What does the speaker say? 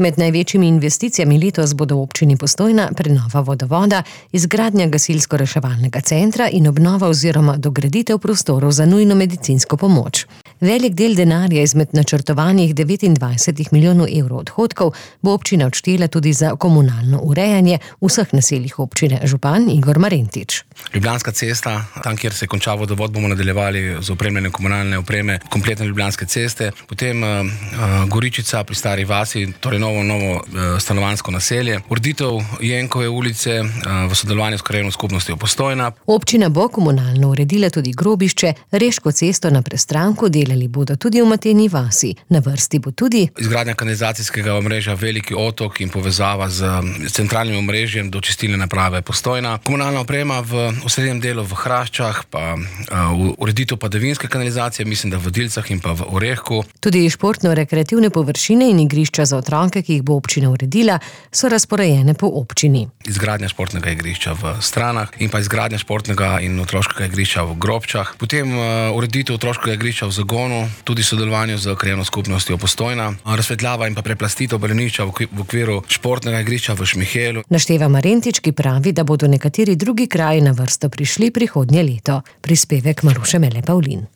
Med največjimi investicijami letos bodo v občini Postojna prenova vodovoda, izgradnja gasilsko-reševalnega centra in obnova oziroma dograditev prostorov za nujno medicinsko pomoč. Velik del denarja izmed načrtovanih 29 milijonov evrov odhodkov bo občina odštela tudi za komunalno urejanje vseh naseljih občine. Župan Igor Marentič. Ljubljanska cesta, tam kjer se konča vodovod, bomo nadaljevali z opremljanjem komunalne opreme kompletne Ljubljanske ceste. Potem Goričica pri Stari vasi, torej novo stanovanjsko naselje. Ureditev Jenkove ulice v sodelovanju s krajevno skupnostjo Postojna. Občina bo komunalno uredila tudi grobišče, Reško cesto na Prestranku, delali bodo tudi v Mateni vasi. Na vrsti bo tudi izgradnja kanalizacijskega omrežja Veliki otok in povezava z centralnim omrežjem do čistilne naprave Postojna. Komunalna oprema v osrednjem delu v Hraščah, pa ureditev padavinske kanalizacije, mislim, da v Dilcah in pa v Orehku. Tudi športno-rekreativne površine in igrišča za otroke, ki jih bo občina uredila, so razporejene po občini. Izgradnja športnega igrišča v Stranah in pa izgradnja športnega in otroškega igrišča v Grobčah. Potem ureditev otroškega igrišča v Zagonu, tudi sodelovanju z krajevno skupnostjo Postojna. Razsvetljava in pa preplastitev balonišča v okviru športnega igrišča v Šmihelu. Našteva Marentič, ki pravi, da bodo nekateri drugi kraji na vrsto prišli prihodnje leto. Prispevek Maruše Mele Pavlin.